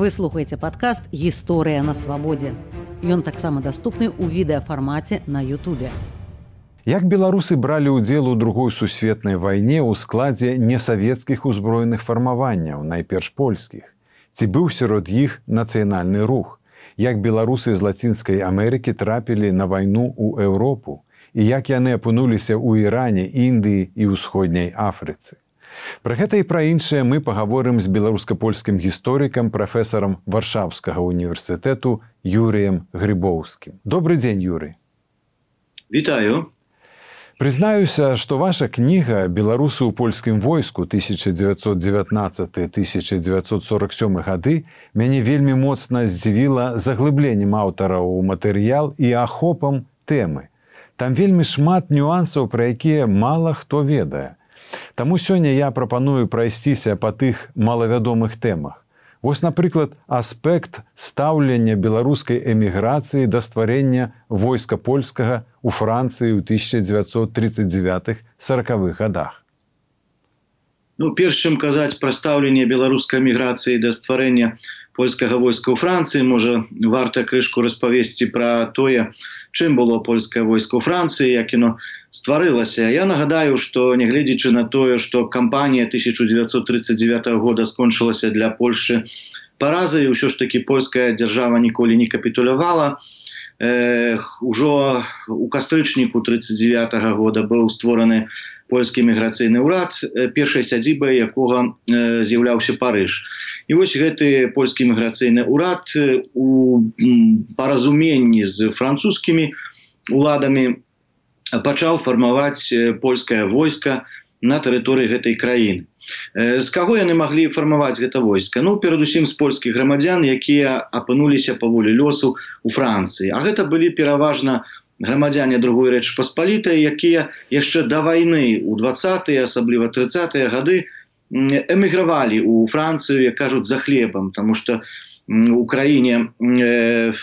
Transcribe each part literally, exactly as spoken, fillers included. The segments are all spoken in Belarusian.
Вы слухаеце падкаст «Гісторыя на свабодзе». Ён таксама даступны ў відэафармаце на Ютубе. Як беларусы бралі ўдзел у другой сусветнай вайне ў складзе несавецкіх узброеных фармаванняў, найперш польскіх? Ці быў сярод іх нацыянальны рух? Як беларусы з Лацінскай Амерыкі трапілі на вайну ў Еўропу? І як яны апынуліся ў Іране, Індыі і ўсходняй Афрыцы? Пра гэта і пра іншае мы пагаворым з беларуска-польскім гісторыкам, прафесарам Варшаўскага універсітэту Юрыем Грыбоўскім. Добры дзень, Юрый. Вітаю. Прызнаюся, што ваша кніга «Беларусы ў польскім войску тысяча дзевяцьсот дзевятнаццаты - тысяча дзевяцьсот сорок сёмы гады» мяне вельмі моцна здзівіла заглыбленнем аўтара ў матэрыял і ахопам тэмы. Там вельмі шмат нюансаў, пра якія мала хто ведае. Таму сёння я прапаную прайсціся па тых малавядомых тэмах. Вось, напрыклад, аспект стаўлення беларускай эміграцыі да стварэння войска польскага ў Францыі ў тысяча дзевяцьсот тридцать девятых - сорокавых годах. Ну, перш чым казаць пра стаўленне беларускай эміграцыі да стварэння польскага войска ў Францыі, можа, варта крышку распавесці пра тое, чым было польскае войска ў Францыі, як яно стварылася. Я нагадаю, што нягледзячы на тое, што кампанія тысяча дзевяцьсот тридцать девятого года скончылася для Польшчы паразай, усё ж такі польская дзяржава ніколі не капітулявала. Э, ужо у кастрычніку тридцать девятого года быў створаны польскі міграцыйны ўрад, першай сядзібай якога э, з'яўляўся Парыж. І вось гэты польскі міграцыйны ўрад у паразуменні з французскімі уладамі пачаў фармаваць польскае войска на тэрыторыі гэтай краіны. З каго яны маглі фармаваць гэта войска? Ну, перадусім з польскіх грамадзян, якія апынуліся па волі лёсу ў Францыі. А гэта былі пераважна грамадзяне другой Рэчы Паспалітай, якія яшчэ да вайны ў двадцатыя, асабліва трыццатыя гады эмігравалі ў Францыю, як кажуць, за хлебам, таму што у краіне э,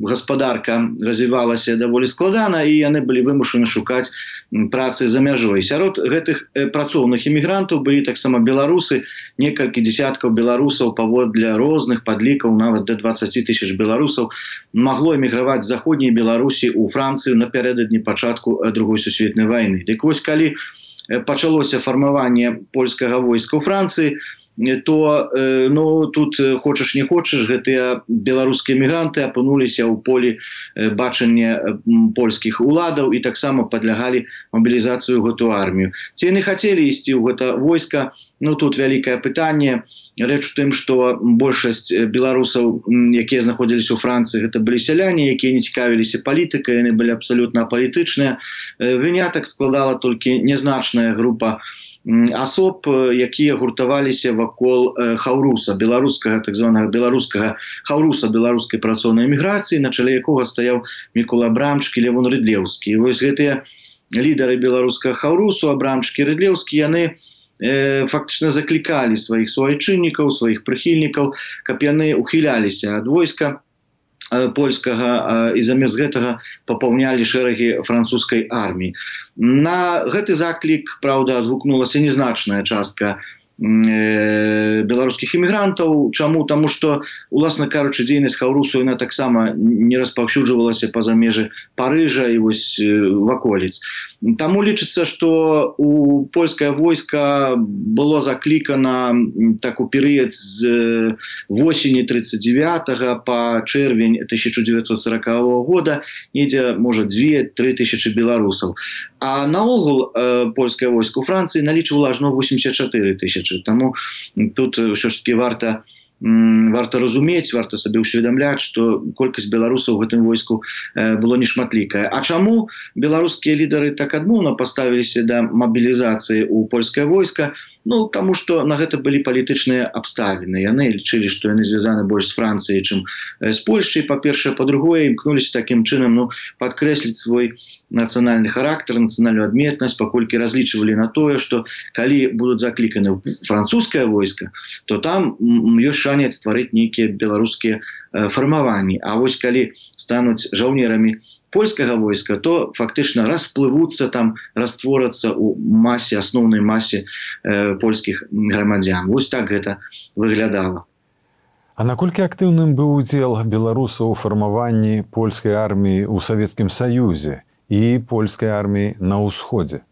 гаспадарка развівалася даволі складана, і яны былі вымушаны шукаць працы за мяжой. Сярод гэтых э, працоўных эмігрантаў былі таксама беларусы, некалькі дзесяткаў беларусаў, паводле розных падлікаў, нават да дваццаці тысяч беларусаў магло эміграваць з заходняй Беларусі ў Францыю напярэдадні пачатку другой сусветнай вайны. Дык вось, калі пачалося фармаванне польскага войска ў Францыі, то ну, тут хочаш не хочаш, гэтыя беларускія эмігранты апынуліся ў полі бачання польскіх уладаў і таксама падлягалі мабілізацыю ў гэту армію. Ці яны хацелі ісці ў гэта войска? Ну, тут вялікае пытанне. Рэч у тым, што большасць беларусаў, якія знаходзіліся ў Францыі, гэта былі сяляне, якія не цікавіліся палітыкай, яны былі абсалютна апалітычныя. Вынятак складала толькі нязначная група асоб, якія гуртаваліся вакол хаўруса, беларускага, так званага беларускага хаўруса беларускай працоўнай эміграцыі, на чале якога стаяў Мікола Абрамчык і Левон Рыдлеўскі. І вось гэтыя лідары беларускага хаўрусу, Абрамчык і Рыдлеўскі, яны э, фактычна заклікалі сваіх суайчыннікаў, сваіх прыхільнікаў, каб яны ухіляліся ад войска польскага і замест гэтага папаўнялі шэрагі французскай арміі. На гэты заклік, праўда, адгукнулася незначная частка беларускіх эмігрантаў. Чаму? Таму што, уласна кажучы, дзейнасць хаўрусу яна таксама не распаўсюджвалася па-за межы Парыжа і вось ваколіц. Таму лічыцца, што у польскае войска было заклікана так у перыяд з восені тридцать девятого па чэрвень тысяча дзевяцьсот сорокавого года недзе, можа, две-тры тысячы беларусаў. А наогул э, польскае войска ў Францыі налічвала ажно восемьдесят чатыры тысячы. Таму тут ўсё ж таки варта варта разумець, варта сабе ўсведамляць, што колькасць беларусаў у гэтым войску было нешматлікая. А чаму беларускія лідары так адмоўна паставіліся да мабілізацыі ў польскае войска? Ну, таму што на гэта былі палітычныя абставіны. Яны лічылі, што яны звязаны больш з Францыяй, чым з Польшчай, па-першае, па-другое, імкнуліся такім чынам, ну, падкрэсліць свой нацыянальны характар, нацыянальную адметнасць, паколькі разлічвалі на тое, што калі будуць закліканы ў французскае войска, то там ёсць шанец стварыць нейкія беларускія фармаванні. А вось калі стануць жаўнерамі польскага войска, то фактычна расплывуцца там, растворацца ў масе, асноўнай масе э, польскіх грамадзян. Вось так гэта выглядала. А наколькі актыўным быў удзел беларусаў у фармаванні польскай арміі ў Савецкім Саюзе і польскай арміі на ўсходзе?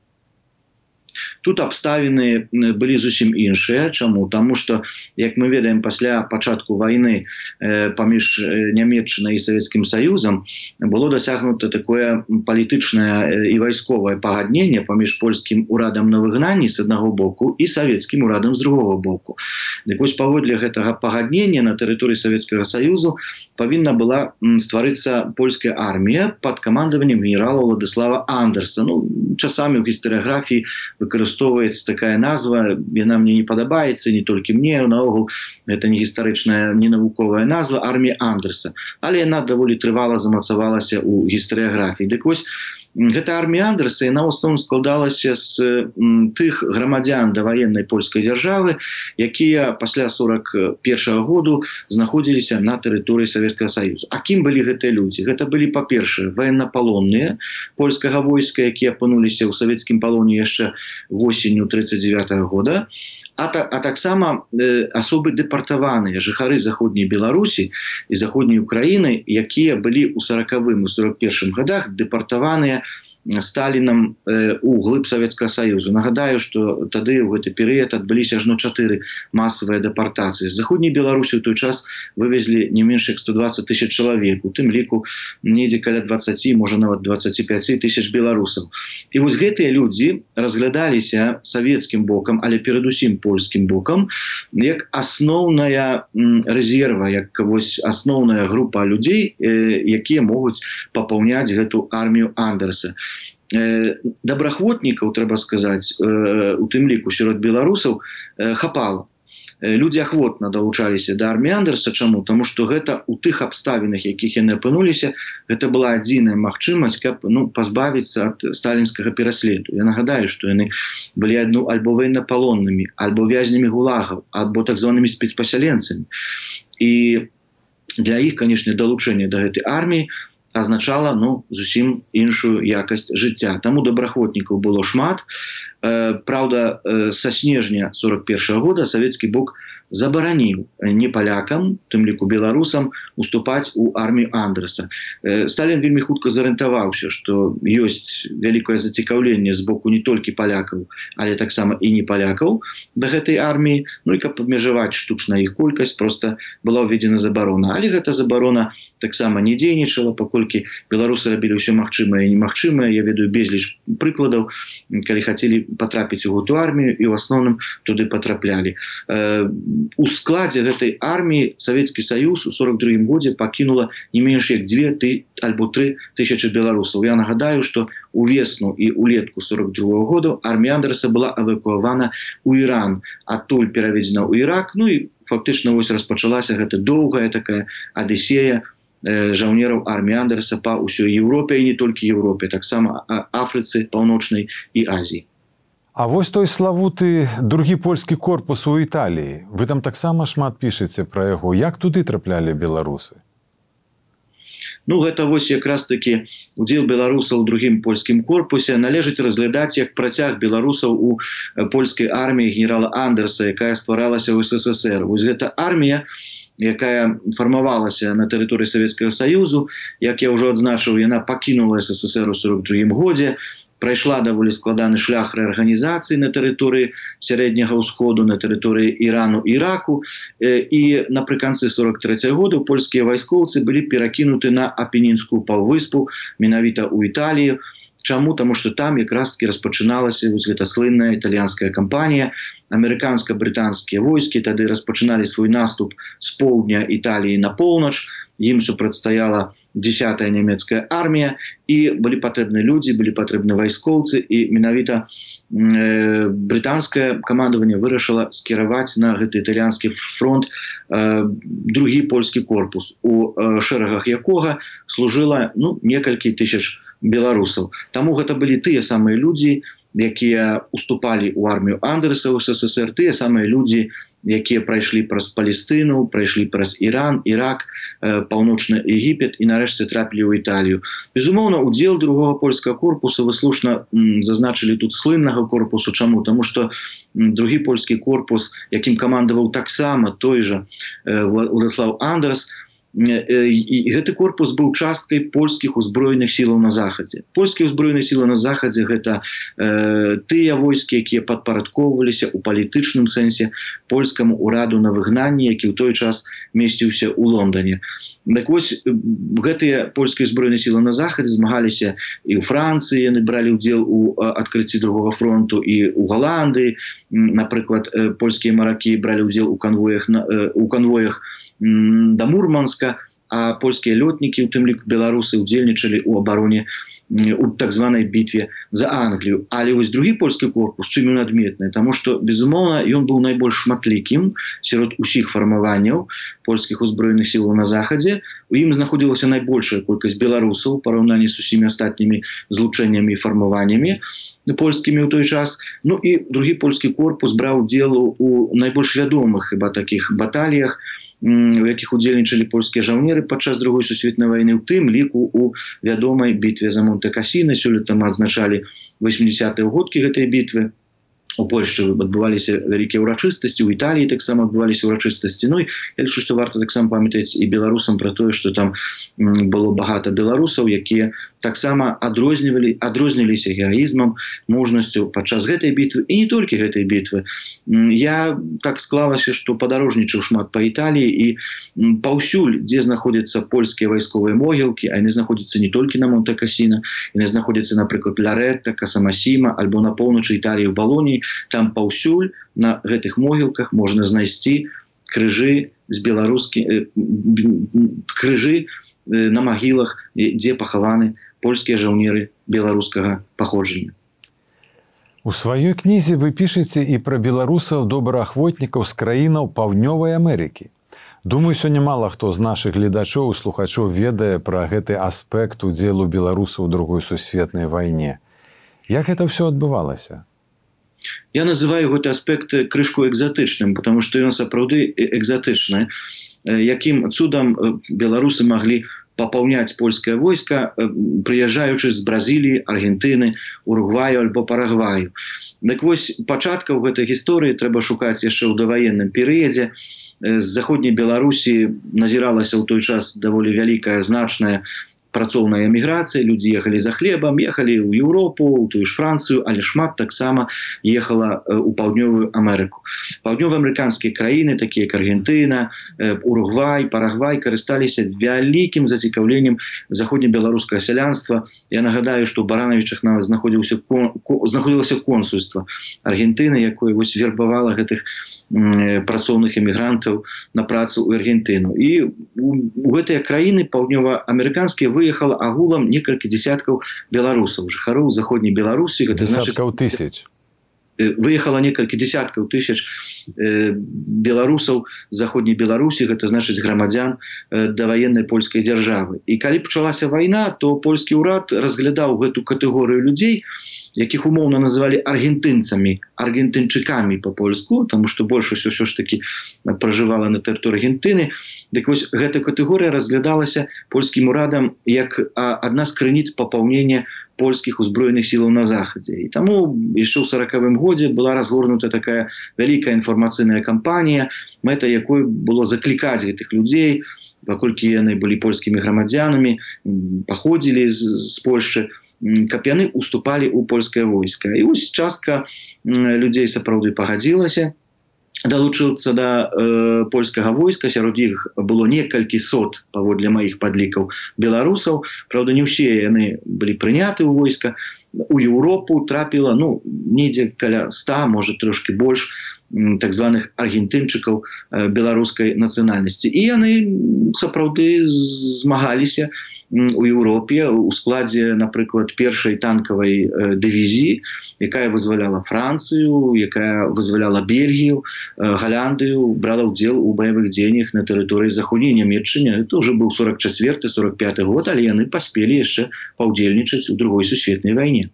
Тут абставіны былі зусім іншыя. Чаму? Таму што, як мы ведаем, пасля пачатку вайны паміж Нямецчынай і Савецкім Саюзам было дасягнута такое палітычнае і вайсковае пагадненне паміж польскім урадам на выгнанні з аднаго боку і савецкім урадам з другога боку. Дык вось паводле гэтага пагаднення на тэрыторыі Савецкага Саюзу павінна была стварыцца польская армія пад камандаваннем генерала Владыслава Андерса. Ну, часамі ў гістарыяграфіі выкарыстоўваецца такая назва, яна мне не падабаецца, не толькі мне, наогул гэта не гістарычная, не навуковая назва, армія Андерса, але яна даволі трывала замацавалася ў гістарыяграфіі. Дык вось гэта армія Андерса, яна ў асноўным складалася з тых грамадзян даваеннай польскай дзяржавы, якія пасля сорок першага году знаходзіліся на тэрыторыі Савецкага Саюзу. А кім былі гэтыя людзі? Гэта былі, па-першае, ваеннапалонныя польскага войска, якія апынуліся ў савецкім палоне яшчэ восенню тридцать девятого года, а, та, а таксама э, асобы дэпартаваныя, жыхары заходняй Беларусі і заходняй Украіны, якія былі ў сорокавым і сорок першым годах дэпартаваныя Сталінам э, у глыб Савецкага Саюзу. Нагадаю, што тады ў гэты перыяд адбыліся ажно чатыры масавыя дэпартацыі. З заходняй Беларусі ў той час вывезлі не менш як сто двадцать тысяч чалавек, у тым ліку недзе каля двадцать, можа нават двадцать пять тысяч беларусаў. І вось гэтыя людзі разглядаліся савецкім бокам, але перадусім польскім бокам, як асноўная рэзерва, як вось асноўная група людзей, э, якія могуць папаўняць гэту армію Андерса. Добраахвотнікаў, трэба сказаць, у тым ліку сярод беларусаў хапала. Людзі ахвотна далучаліся да арміі Андерса. Чаму? Таму што гэта ў тых абставінах, якіх яны апынуліся, гэта была адзіная магчымасць, каб ну, пазбавіцца ад сталінскага пераследу. Я нагадаю, што яны былі адну альбо ваеннапалоннымі, альбо вязнямі гулагаў, альбо так званымі спецпасяленцамі. І для іх, канешне, далучэнне да гэтай арміі азначала ну, зусім іншую якасць жыцця. Таму добраахвотнікаў было шмат. Праўда, са снежня сорок першага года савецкі бок забараніў не палякам, тым ліку беларусам, уступаць у армію Андерса. Сталін вельмі хутка зарыентаваўся, што ёсць вялікае зацікаўленне з боку не толькі палякаў, але таксама і не палякаў да гэтай арміі. Ну і каб абмежаваць штучна іх колькасць, проста была ўведзена забарона. Але гэта забарона таксама не дзейнічала, паколькі беларусы рабілі ўсё магчымае і немагчымае. Я ведаю безліч прыкладаў, калі хацелі патрапіць у гэту армію і ў асноўным туды патраплялі. У складзе гэтай арміі Савецкі Саюз у сорок другім годзе пакінула не менш як дзве альбо тры тысячы беларусаў. Я нагадаю, што увесну і улетку сорок другога года армія Андерса была эвакуавана ў Іран, адтуль пераведзена ў Ірак. Ну і фактычна вось распачалася гэта доўгая такая адысея жаўнераў арміі Андерса па ўсёй Еўропе і не толькі Еўропе, таксама Афрыцы, Паўночнай і Азіі. А вось той славуты другі польскі корпус у Італіі. Вы там таксама шмат пішаце пра яго. Як туды траплялі беларусы? Ну, гэта вось якраз такі удзел беларусаў у другім польскім корпусе належыць разглядаць як працяг беларусаў у польскай арміі генерала Андерса, якая стваралася ў СССР. Вось гэта армія, якая фармавалася на тэрыторыі Савецкага Саюзу, як я ўжо адзначыў, яна пакінула СССР у сорок другім годзе, прайшла даволі складаны шлях рэарганізацыі на тэрыторыі сярэдняга ўсходу, на тэрыторыі Ірану і Іраку. І напрыканцы сорок трэцяга года польскія вайскоўцы былі перакінуты на Апенінскую паўвыспу, менавіта ў Італію. Чаму? Таму што там якраз-таки распачыналася вось гэта слынная італьянская кампанія. Амерыканска-брытанскія войскі тады распачыналі свой наступ з поўдня Італіі на поўнач. Ім супрацьстаяла дзесятая нямецкая армія, і былі патрэбны людзі, былі патрэбны вайскоўцы, і менавіта э, брытанскае камандаванне вырашыла скіраваць на гэты італьянскі фронт э, другі польскі корпус, у э, шэрагах якога служыла ну, некалькі тысяч беларусаў. Таму гэта былі тыя самыя людзі, якія уступалі ў армію Андерса ў СССР, тыя самыя людзі, якія прайшлі праз Палестыну, прайшлі праз Іран, Ірак, паўночны Егіпет і нарэшце трапілі ў Італію. Безумоўна, удзел другога польскага корпуса, вы слушна зазначылі тут слыннага корпусу. Чаму? Таму што другі польскі корпус, якім камандаваў таксама той жа Уладзіслаў Андерс, і гэты корпус быў часткай польскіх узброеных сілаў на захадзе. Польскія ўзброеныя сілы на захадзе гэта э, тыя войскі, якія падпарадкоўваліся ў палітычным сэнсе польскаму ўраду на выгнанні, які ў той час месціўся ў Лондоне. Так вось, гэтыя польскія ўзброеныя сілы на захадзе змагаліся і ў Францыі, яны бралі ўдзел у адкрыцці другога фронту, і ў Галандыі. Напрыклад, польскія маракі бралі ўдзел у канвоях, у канвоях да Мурманска, а польскія лётнікі, у тым ліку беларусы, удзельнічалі ў абароне у так званай бітве за Англію. Але вось другі польскі корпус, чым ён адметны? Таму што, безумоўна, ён быў найбольш шматлікім сярод усіх фармаванняў польскіх узброеных сілаў на захадзе. У ім знаходзілася найбольшая колькасць беларусаў у параўнанні з усімі астатнімі злучэннямі і фармаваннямі польскімі ў той час. Ну і другі польскі корпус браў удзел у найбольш вядомых хіба такіх баталіях, у якіх удзельнічалі польскія жаўнеры падчас другой сусветнай вайны, у тым ліку у вядомай бітве за Монте-Касіна. Сёлета мы адзначалі восьмідзесятыя годкі гэтай бітвы. У Польшчы адбываліся вялікія ўрачыстасці, у Італіі таксама адбываліся ўрачыстасці. Ну, я лічу, што варта таксама памятаць і беларусам пра тое, што там было багата беларусаў, якія таксама адрознівалі, адрозніліся гераізмам, мужнасцю падчас гэтай бітвы, і не толькі гэтай бітвы. Я так склалася, што падарожнічаў шмат па Італіі, і паўсюль, дзе знаходзяцца польскія вайсковыя могілкі, а яны знаходзяцца не толькі на Монте-Касіна, яны знаходзяцца, напрыклад, Ларетта, Касамасіма, альбо на поўначы Італіі, ў Балоніі. Там паўсюль на гэтых могілках можна знайсці крыжы з беларускі, крыжы на магілах, дзе пахаваны польскія жаўнеры беларускага паходжання. У сваёй кнізе вы пішаце і пра беларусаў-добраахвотнікаў з краінаў Паўднёвай Амерыкі. Думаю, сёння мала хто з нашых гледачоў і слухачоў ведае пра гэты аспект удзелу беларусаў у другой сусветнай вайне. Як гэта ўсё адбывалася? Я называю гэты аспект крышку экзатычным, потому што ён сапраўды экзатычны. Якім цудам беларусы маглі папаўняць польскае войска, прыязджаючы з Бразіліі, Аргентыны, Уругваю альбо Парагваю. Так вось, пачаткаў гэтай гісторыі трэба шукаць яшчэ ў даваенным перыядзе. З заходняй Беларусі назіралася ў той час даволі вялікая, значная працоўная эміграцыя, людзі ехалі за хлебам, ехалі ў Еўропу, у тую ж Францыю, але шмат таксама ехала ў Паўднёвую Амерыку. Паўднёваамерыканскія краіны, такія як Аргентына, Уругвай, Парагвай, карысталіся вялікім зацікаўленнем заходнебеларускага сялянства. Я нагадаю, што ў Баранавічах нават знаходзілася консульства Аргентыны, якое вось вербавала гэтых працоўных эмігрантаў на працу ў Аргентыну. І у гэтыя краіны паўднёваамерыканскія выехала агулам некалькі дзесяткаў беларусаў, жыхароў заходняй Беларусі. Дзесяткаў тысяч. Выехала некалькі десяткаў тысяч беларусаў з заходняй Беларусі, гэта значыць грамадзян даваеннай польскай дзяржавы. І калі пачалася вайна, то польскі ўрад разглядаў гэту катэгорыю людзей, якіх умоўна называлі аргентынцамі, аргентынчыкамі па-польску, таму што большасць усё ж такі пражывала на тэрыторыі Аргентыны. Дык вось гэта катэгорыя разглядалася польскім урадам як адна з крыніц папаўнення польскіх узброеных сілаў на захадзе. І таму яшчэ ў саракавым годзе была разгорнута такая вялікая інфармацыйная кампанія, мэта якой было заклікаць гэтых людзей, паколькі яны былі польскімі грамадзянамі, паходзілі з, з Польшчы, каб яны уступалі ў польскае войска. І вось частка людзей сапраўды пагадзілася далучыцца да э, польскага войска. Сярод іх было некалькі сот, паводле маіх падлікаў, беларусаў. Праўда, не ўсе яны былі прыняты ў войска. У Еўропу трапіла, ну, недзе каля ста, можа, трошки больш так званых аргентынчыкаў э, беларускай нацыянальнасці. І яны сапраўды змагаліся у Еўропе у складзе, напрыклад, першай танкавай дывізіі, якая вызваляла Францыю, якая вызваляла Бельгію, Галяндыю, брала ўдзел у баявых дзеяннях на тэрыторыі заходняй Нямецчыны. Это ўжо быў сорок чацвёрты сорок пяты год, але яны паспелі яшчэ паўдзельнічаць у другой сусветнай вайне.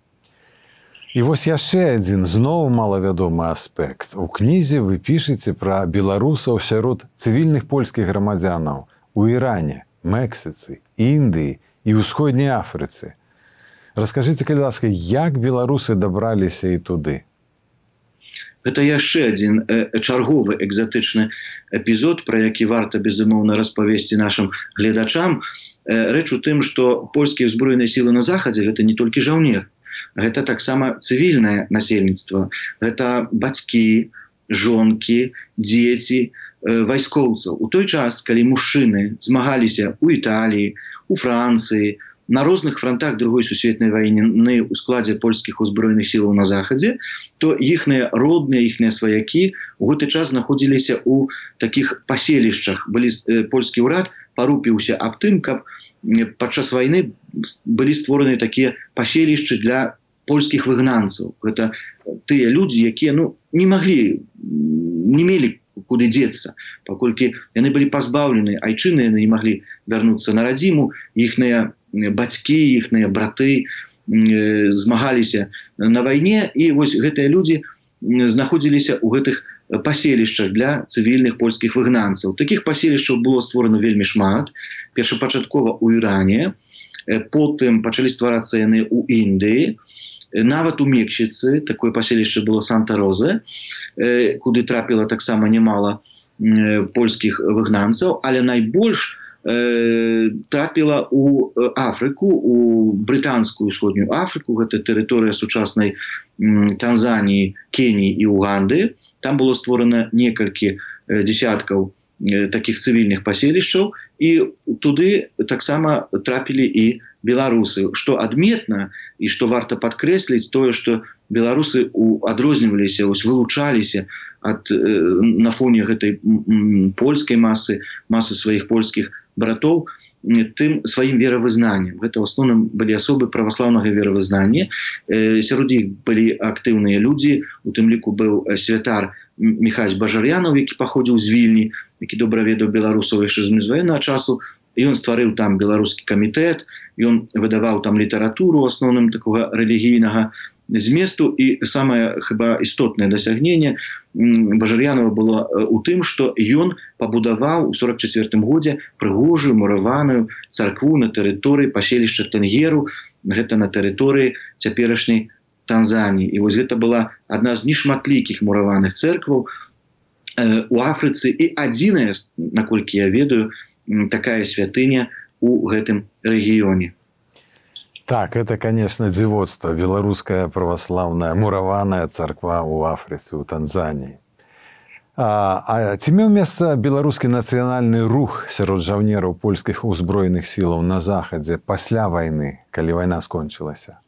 І вось яшчэ адзін зноў малавядомы аспект. У кнізе вы пішаце пра беларусаў сярод цывільных польскіх грамадзянаў у Іране, Мексіцы, Індыі і ўсходняй Афрыцы. Раскажыце, калі ласка, як беларусы дабраліся і туды? Гэта яшчэ адзін э, чарговы экзатычны эпізод, пра які варта, безумоўна, распавесці нашым гледачам. Э, рэч у тым, што польскія ўзброеныя сілы на захадзе гэта не толькі жаўнер, гэта таксама цывільнае насельніцтва. Гэта бацькі, жонкі, дзеці, э, вайскоўцаў. У той час, калі мужчыны змагаліся ў Італіі, у Францыі, на розных фронтах Другой сусветнай вайны ў складзе польскіх узброеных сілаў на захадзе, то іхныя родныя, іхныя сваякі у гэты час знаходзіліся ў такіх паселішчах. Былі, э, польскі ўрад парупіўся аб тым, каб падчас вайны былі створаны такія паселішчы для польскіх выгнанцаў. Гэта тыя людзі, якія ну, не маглі, не мелі куды дзецца, паколькі яны былі пазбаўлены айчыны, яны не маглі вярнуцца на радзіму, іхныя бацькі, іхныя браты э, змагаліся на вайне, і вось гэтыя людзі знаходзіліся ў гэтых паселішчах для цывільных польскіх выгнанцаў. Такіх паселішчаў было створана вельмі шмат. Першапачаткова ў Іране, потым пачалі стварацца яны ў Індыі, нават у Мексіцы, такое паселішча было Санта-Розе, куды трапіла таксама немала польскіх выгнанцаў, але найбольш трапіла ў Афрыку, у брытанскую ўсходнюю Афрыку, гэта тэрыторыя сучаснай Танзаніі, Кеніі і Уганды. Там было створана некалькі десяткаў такіх цывільных паселішчаў, і туды таксама трапілі і беларусы. Што адметна і што варта падкрэсліць, тое, што беларусы адрозніваліся, вылучаліся ад, на фоне гэтай польскай масы, масы сваіх польскіх братоў, тым сваім веравызнаннем. Гэта ў асноўным былі асобы праваслаўнага веравызнання. Сярод іх былі актыўныя людзі, у тым ліку быў святар Міхась Бажар'янаў, які паходзіў з Вільні, які добра ведаў беларусаў яшчэ з міжваеннага часу. І ён стварыў там беларускі камітэт, ён выдаваў там літаратуру, у асноўным такога рэлігійнага зместу, і самае хіба істотнае дасягненне Бажар'янова было у тым, што ён пабудаваў у сорок чацвёртым годзе прыгожую мураваную царкву на тэрыторыі паселішча Тэнгеру, гэта на тэрыторыі цяперашняй Танзаніі. І вось гэта была адна з нешматлікіх мураваных цэркваў у Афрыцы і адзіная, наколькі я ведаю, такая святыня у гэтым рэгіёне. Так, это, конечно, дзівоцтва. Беларуская праваслаўная мураваная царква ў Афрыцы, у Танзаніі. А, а ці меў месца беларускі нацыянальны рух сярод жаўнераў польскіх узброеных сілаў на захадзе пасля вайны, калі вайна скончылася?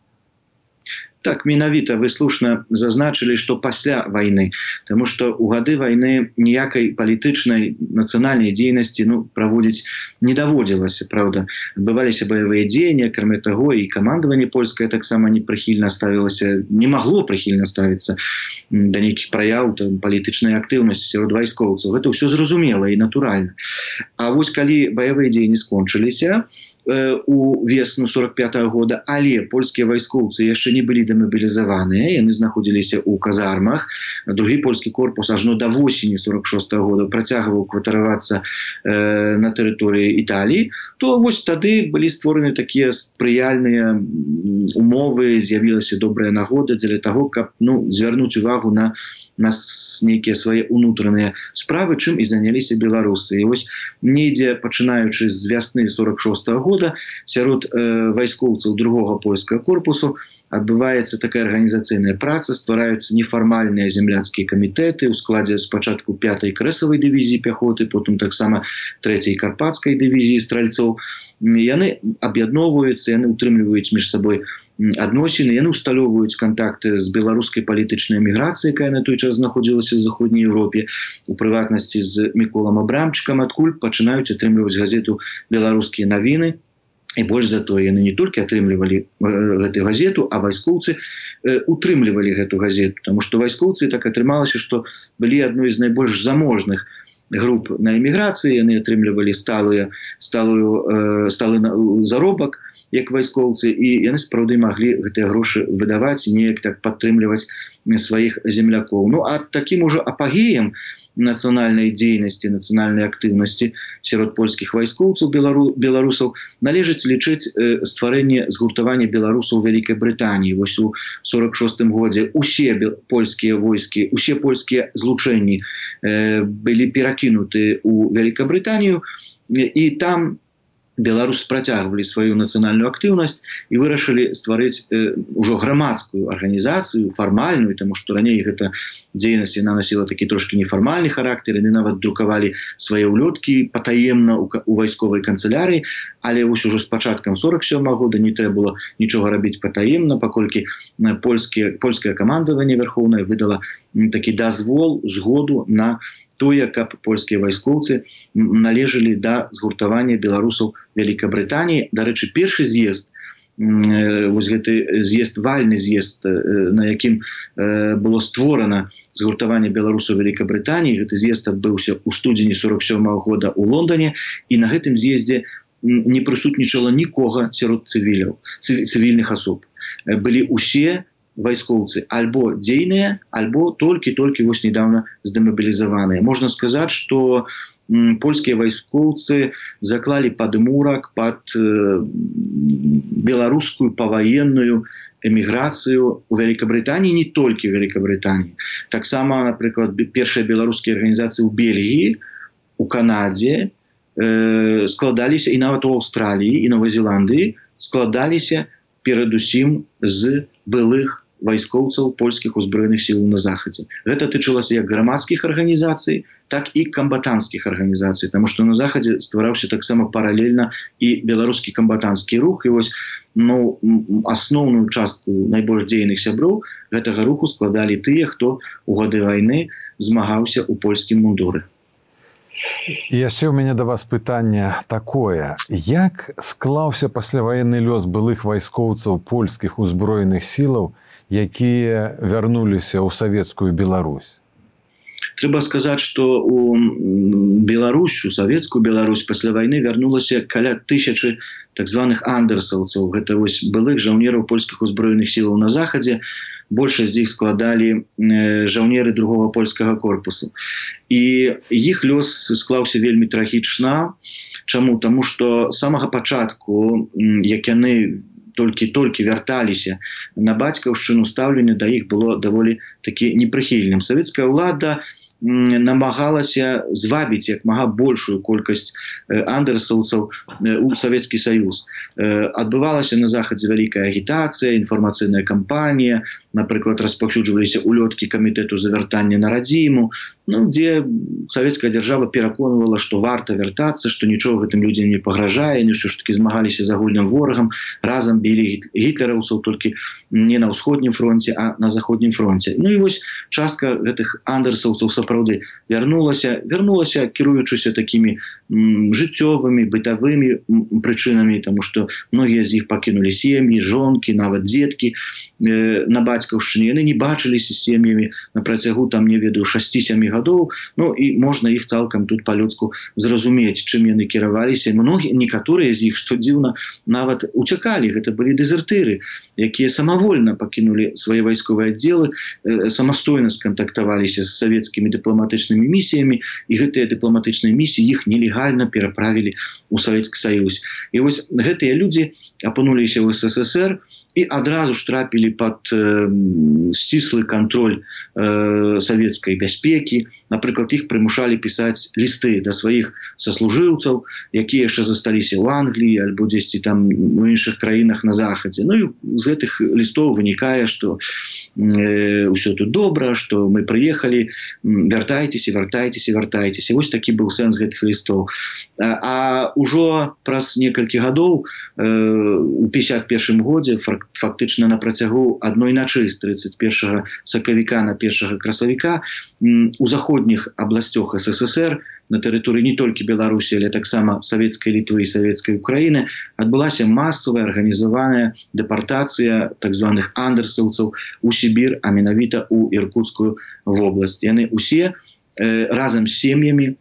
Так, менавіта вы слушна зазначылі, што пасля вайны, таму што ў гады вайны ніякай палітычнай нацыянальнай дзейнасці ну, праводзіць не даводзілася, правда. Адбываліся баявыя дзеянні, акрамя таго, і камандаванне польскае таксама не прыхільна ставілася, не магло прыхільна ставіцца да нейкіх праяў палітычнай актыўнасці сярод вайскоўцаў. Гэта ўсё зразумела і натуральна. А вось калі баявыя дзеянні скончыліся, у весну сорок пятага года, але польскія вайскоўцы яшчэ не былі дэмабілізаваныя, яны знаходзіліся ў казармах. Другі польскі корпус ажно да восені сорок шостага года працягваў кватаравацца э, на тэрыторыі Італіі, то вось тады былі створаны такія спрыяльныя умовы, з'явілася добрая нагода дзеля таго, каб ну, звярнуць увагу на нас нейкія свае ўнутраныя справы, чым і заняліся беларусы. І вось недзе, пачынаючы з вясны сорок шостага года, сярод э, вайскоўцаў другога польскага корпусу адбываецца такая арганізацыйная праца, ствараюцца нефармальныя земляцкія камітэты ў складзе спачатку пятай крэсавай дывізіі пяхоты, потым таксама трэцяй карпатскай дывізіі стральцоў. Яны аб'ядноўваюцца, яны ўтрымліваюць між сабой адносіны, яны ўсталёўваюць кантакты з беларускай палітычнай эміграцыяй, якая на той час знаходзілася ў заходняй Еўропе, у прыватнасці з Міколам Абрамчыкам, адкуль пачынаюць атрымліваць газету «Беларускія навіны». І больш за тое, яны не толькі атрымлівалі гэту газету, а вайскоўцы утрымлівалі гэту газету, таму што вайскоўцы так атрымалася, што былі адной з найбольш заможных груп на эміграцыі, яны атрымлівалі сталую, сталую, сталы заробак як вайскоўцы, і яны сапраўды маглі гэтыя грошы выдаваць і неяк так падтрымліваць сваіх землякоў. Ну а такім ужо апагеем нацыянальнай дзейнасці, нацыянальнай актыўнасці сярод польскіх вайскоўцаў беларусаў належыць лічыць стварэнне згуртавання беларусаў у Вялікай Брытаніі. Вось у сорок шостым годзе усе польскія войскі, усе польскія злучэнні былі перакінуты ў Вялікабрытанію, і там беларусы працягвалі сваю нацыянальную актыўнасць і вырашылі стварыць э, ужо грамадскую арганізацыю, фармальную, таму што раней гэта дзейнасць яна насіла такі трошкі нефармальны характар, яны нават друкавалі свае ўлёткі патаемна ў, у вайсковай канцылярыі, але вось ужо з пачаткам сорок сёмага года не трэба было нічога рабіць патаемна, паколькі польскія, польскае камандаванне вярхоўнае выдала такі дазвол, згоду на тое, каб польскія вайскоўцы належалі да згуртавання беларусаў Вялікабрытаніі. Дарэчы, першы з'езд, вось гэты з'езд, вальны з'езд, на якім было створана згуртаванне беларусаў Вялікабрытаніі, гэты з'езд адбыўся ў студзені сорок сёмага года ў Лондоне, і на гэтым з'ездзе не прысутнічала нікога сярод цывіляў, цывільных асоб. Былі усе вайскоўцы альбо дзейныя, альбо толькі-толькі вось недавно здэмабілізаваныя. Можна сказаць, што польскія вайскоўцы заклалі падмурак пад э, беларускую паваенную эміграцыю ў Вялікабрытаніі, не толькі ў Вялікабрытаніі. Таксама, напрыклад, першыя беларускія арганізацыі ў Бельгіі, у Канадзе э, складаліся, і нават у Аўстраліі і Новай Зеландыі складаліся перадусім з былых вайскоўцаў польскіх узброеных сілаў на захадзе. Гэта тычылася як грамадскіх арганізацый, так і камбатанцкіх арганізацый, таму што на захадзе ствараўся таксама паралельна і беларускі камбатанцкі рух, і вось ну, асноўную частку найбольш дзейных сяброў гэтага руху складалі тыя, хто у гады вайны змагаўся ў польскім мундуры. І яшчэ ў мяне да вас пытанне такое. Як склаўся пасляваенны лёс былых вайскоўцаў польскіх узброеных сілаў, якія вярнуліся ў савецкую Беларусь? Трэба сказаць, што у Беларусь, у савецкую Беларусь пасля вайны вярнулася каля тысячы так званых андерсаўцаў. Гэта вось былых жаўнераў польскіх узброеных сілаў на захадзе. Большасць з іх складалі жаўнеры другога польскага корпусу. І іх лёс склаўся вельмі трагічна. Чаму? Таму што з самага пачатку, як яны толькі-толькі вярталіся на бацькаўшчыну, стаўленне да іх было даволі такі непрыхільным. Савецкая ўлада намагалася звабіць як мага большую колькасць андерсаўцаў у Савецкі Саюз. Адбывалася на захадзе вялікая агітацыя, інфармацыйная кампанія, напрыклад, распаўсюджваліся ўлёткі камітэту завяртання на радзіму, ну, дзе савецкая дзяржава пераконвала, што варта вяртацца, што нічога гэтым людзям не пагражае, яны ўсё ж такі змагаліся з агульным ворагам, разам білі гітлераўцаў толькі не на ўсходнім фронце, а на заходнім фронце. Ну і вось частка гэтых андерсаўцаў сапраўды вярнулася, вярнулася кіруючыся такімі м, жыццёвымі, бытавымі прычынамі, таму што многія з іх пакінулі сем'і, жонкі, нават дзеткі э, на бацькаўшчыне. Яны не бачыліся з сем'ямі на працягу, там, не ведаю, шасці-сямі гадоў, ну і можна іх цалкам тут па-людску зразумець, чым яны кіраваліся. Многія, некаторыя з іх, што дзіўна, нават уцякалі. Гэта былі дэзертыры, якія самавольна пакінулі свае вайсковыя аддзелы, э, самастойна скантактаваліся з савецкімі дыпламатычнымі місіямі, і гэтыя дыпламатычныя місіі іх нелегальна пераправілі ў Савецкі Саюз. І вось гэтыя людзі апынуліся ў СССР і адразу ж трапілі пад э, сціслы кантроль э, савецкай бяспекі. Напрыклад, іх прымушалі пісаць лісты да сваіх саслужыўцаў, якія яшчэ засталіся ў Англіі альбо дзесьці там у іншых краінах на захадзе. Ну і з гэтых лістоў вынікае, што э, ўсё тут добра, што мы прыехалі, вяртайцеся, вяртайцеся, вяртайцеся. Вось такі быў сэнс гэтых лістоў. А, а ўжо праз некалькі гадоў э, у пятьдесят першым годзе фактычна на працягу адной начы з тридцать першага сакавіка на першага красавіка у заходніх абласцях СССР на тэрыторыі не толькі Беларусі, але таксама савецкай Літвы і савецкай Украіны адбылася масавая арганізаваная дэпартацыя так званых андерсаўцаў у Сібір, а менавіта ў Іркуцкую вобласць. Яны усе э, разам з сем'ямі,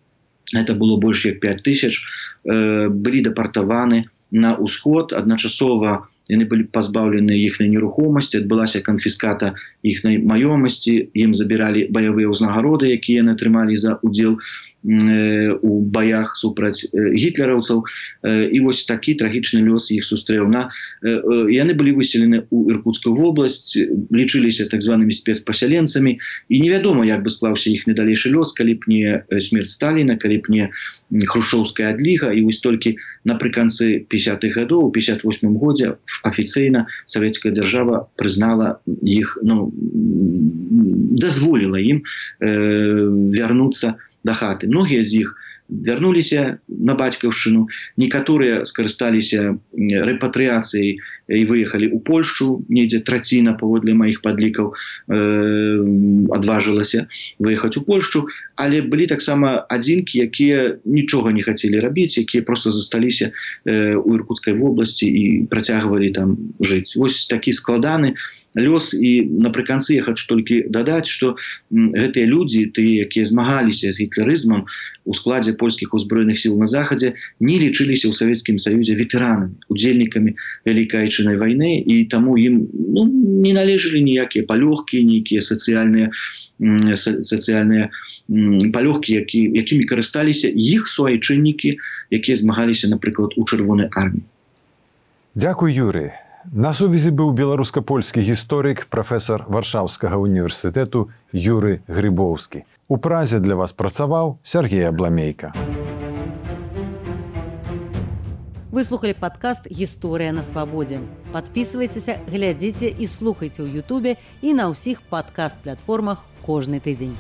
это было больш як пять тысяч, э, былі дэпартаваны на ўсход. Адначасова яны былі пазбаўлены іхняй нерухомасці, адбылася канфіската іхняй маёмасці, ім забіралі баявыя ўзнагароды, якія яны атрымалі за удзел у баях супраць гітлераўцаў. І вось такі трагічны лёс іх сустрэў. На яны былі выселены ў Іркутскую вобласць, лічыліся так званымі спецпасяленцамі, і невядома, як бы склаўся іхні далейшы лёс, калі б не смерць Сталіна, калі б не хрушчоўская адліга. І вось толькі напрыканцы пятьдесятых гадоў, у пятьдесят восьмым годзе афіцыйна савецкая дзяржава прызнала іх, ну, дазволіла ім э, вярнуцца да хаты. Многія з іх вярнуліся на бацькаўшчыну, некаторыя скарысталіся рэпатрыяцыяй і выехалі ў Польшчу, недзе траціна, паводле маіх падлікаў, э, адважылася выехаць у Польшчу, але былі таксама адзінкі, якія нічога не хацелі рабіць, якія проста засталіся э, у Іркутскай вобласці і працягвалі там жыць. Вось такі складаны лёс. І напрыканцы я хочу толькі дадаць, што гэтыя людзі, тыя, якія змагаліся з гітлерызмам у складзе польскіх узброеных сіл на захадзе, не лічыліся ў Савецкім Саюзе ветэранамі, удзельнікамі Вялікай Айчыннай вайны, і таму ім, ну, не належалі ніякія палёгкі, нейкія сацыяльныя сацыяльныя палёгкі, які, якімі карысталіся іх суайчыннікі, якія змагаліся, напрыклад, у Чырвонай арміі. Дзякуй, Юрый. На сувязі быў беларуска-польскі гісторык, прафесар Варшаўскага універсітэту Юрый Грыбоўскі. У Празе для вас працаваў Сергей Абламейка. Вы слухали падкаст «Гісторыя на свабодзе». Падпісвайцеся, глядзіце і слухайце ў Ютубе і на ўсіх падкаст-платформах кожны тыдзень.